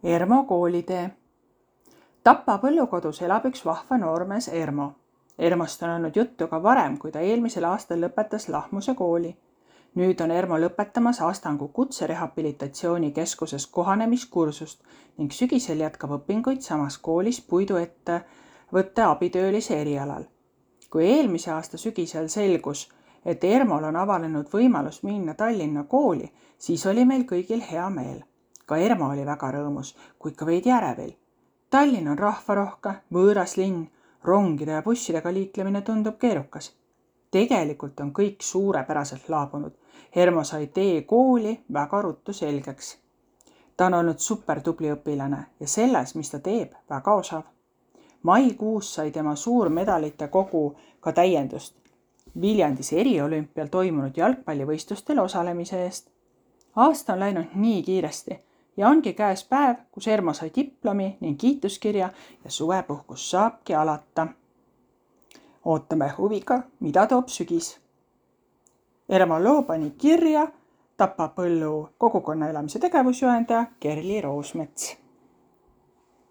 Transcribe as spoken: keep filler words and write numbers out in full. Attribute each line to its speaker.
Speaker 1: Ermo koolitee. Tapa põllukodus elab üks vahva noormees Ermo. Ermost on olnud juttu ka varem, kui ta eelmisel aastal lõpetas Lahmuse kooli. Nüüd on Ermo lõpetamas Astangu kutserehabilitatsioonikeskuses kohanemiskursust ning sügisel jätkab õpinguid samas koolis puiduettevõtte abitöölise erialal. Kui eelmise aasta sügisel selgus, et Ermol on avanenud võimalus minna Tallinna kooli, siis oli meil kõigil hea meel. Ka Ermo oli väga rõõmus, kuid ka veidi ärevil. Tallinn on rahvarohke, võõras linn, rongide ja bussidega liiklemine tundub keerukas. Tegelikult on kõik suurepäraselt laabunud. Ermo sai tee kooli väga ruttu selgeks. Ta on olnud supertubli õpilane ja selles, mis ta teeb, väga osav. Maikuus sai tema suur medalite kogu ka täiendust Viljandis eriolümpial toimunud jalgpallivõistlustel osalemise eest. Aasta on läinud nii kiiresti ja ongi käes päev, kus Ermo sai diplomi ning kiituskirja ja suvepuhkus saabki alata. Ootame huviga, mida toob sügis. Ermo loo pani kirja Tapa põllu kogukonna elamise tegevusjuhendaja Kerli Roosmets.